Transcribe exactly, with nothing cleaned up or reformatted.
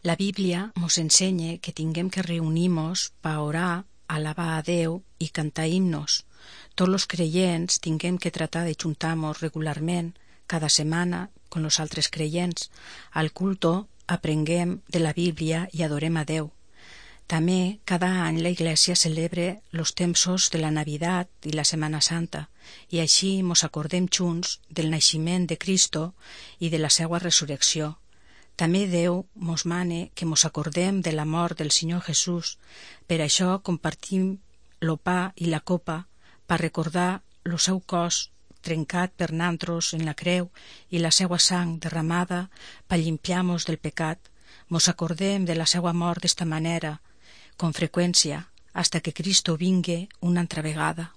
La Bíblia mos ensenya que tinguem que reunir-mos pa orar, alabar a Déu i cantar himnos. Tots los creients tinguem que tratar de juntar-mos regularment, cada setmana, con los altres creients. Al culto aprenguem de la Bíblia i adorem a Déu. També cada any la Iglesia celebra los tempsos de la Navidad i la Setmana Santa, i així mos acordem junts del naixement de Cristo i de la seua resurrecció. També Déu mos mane que mos acordem de la mort del Senyor Jesús. Per això compartim lo pa i la copa per recordar lo seu cos trencat per nantros en la creu i la seua sang derramada per limpiar-mos del pecat. Mos acordem de la seua mort d'esta manera, con freqüència, hasta que Cristo vingue una altra vegada.